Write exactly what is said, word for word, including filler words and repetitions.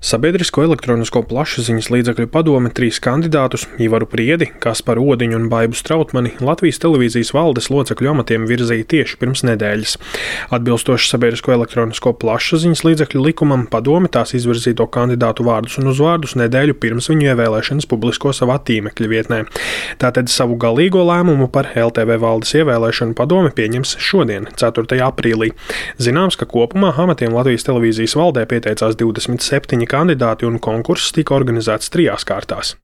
Sabiedrisko elektronisko plašsaziņas līdzekļu padome trīs kandidātus – Ivaru Priedi, Kasparu Odiņu un Baibu Strautmani – Latvijas televīzijas valdes locekļu amatiem virzīja tieši pirms nedēļas. Atbilstoši Sabiedrisko elektronisko plašsaziņas līdzekļu likumam, padome tās izvirzīto kandidātu vārdus un uzvārdus nedēļu pirms viņu ievēlēšanas publisko savā tīmekļa vietnē. Tātad savu galīgo lēmumu par L T V valdes ievēlēšanu padome pieņems šodien, ceturtajā aprīlī. Zināms, ka kopumā amatiem Latvijas televīzijas valdē pieteicās divdesmit septiņi kandidāti un konkurss tika organizēts trijās kārtās.